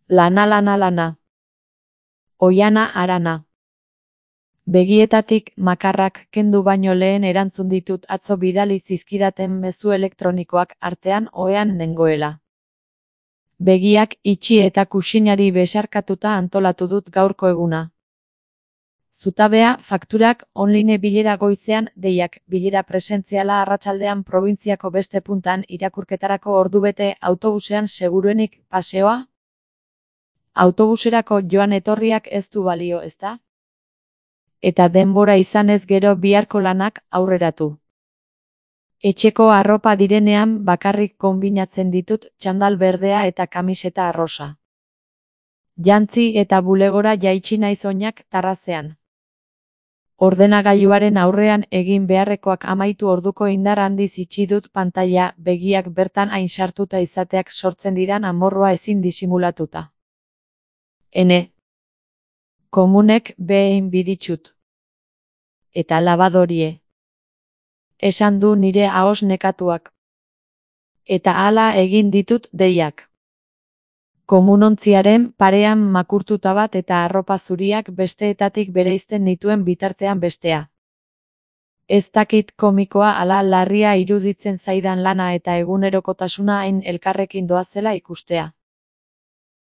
Lana lana lana. Oiana harana. Begietatik makarrak kendu baino lehen erantzun ditut atzo bidali zizkidaten mezu elektronikoak artean ohean nengoela. Begiak itxi eta kuxinari besarkatuta antolatu dut gaurko eguna. Zutabea, fakturak, online bilera goizean, deiak, bilera presentziala arratsaldean probintziako beste puntan irakurketarako ordubete autobusean seguruenik paseoa? Autobuserako joan etorriak ez du balio, ezta? Eta denbora izanez gero biharko lanak aurreratu. Etxeko arropa direnean bakarrik konbinatzen ditut txandal berdea eta kamiseta arrosa. Jantzi eta bulegora jaitsi naiz oinak tarrazean. Ordenagailuaren aurrean egin beharrekoak amaitu orduko indar handiz itxi dut pantaila, begiak bertan hain sartuta izateak sortzen didan amorrua ezin disimulatuta. Ene. Komunek behin biditxut. Eta labadorie. Esan du nire ahos nekatuak. Eta hala egin ditut deiak. Komunontziaren parean makurtuta bat eta arropa zuriak besteetatik bereizten nituen bitartean bestea. Ez dakit komikoa ala larria iruditzen zaidan lana eta egunerokotasuna hain elkarrekin doazela ikustea.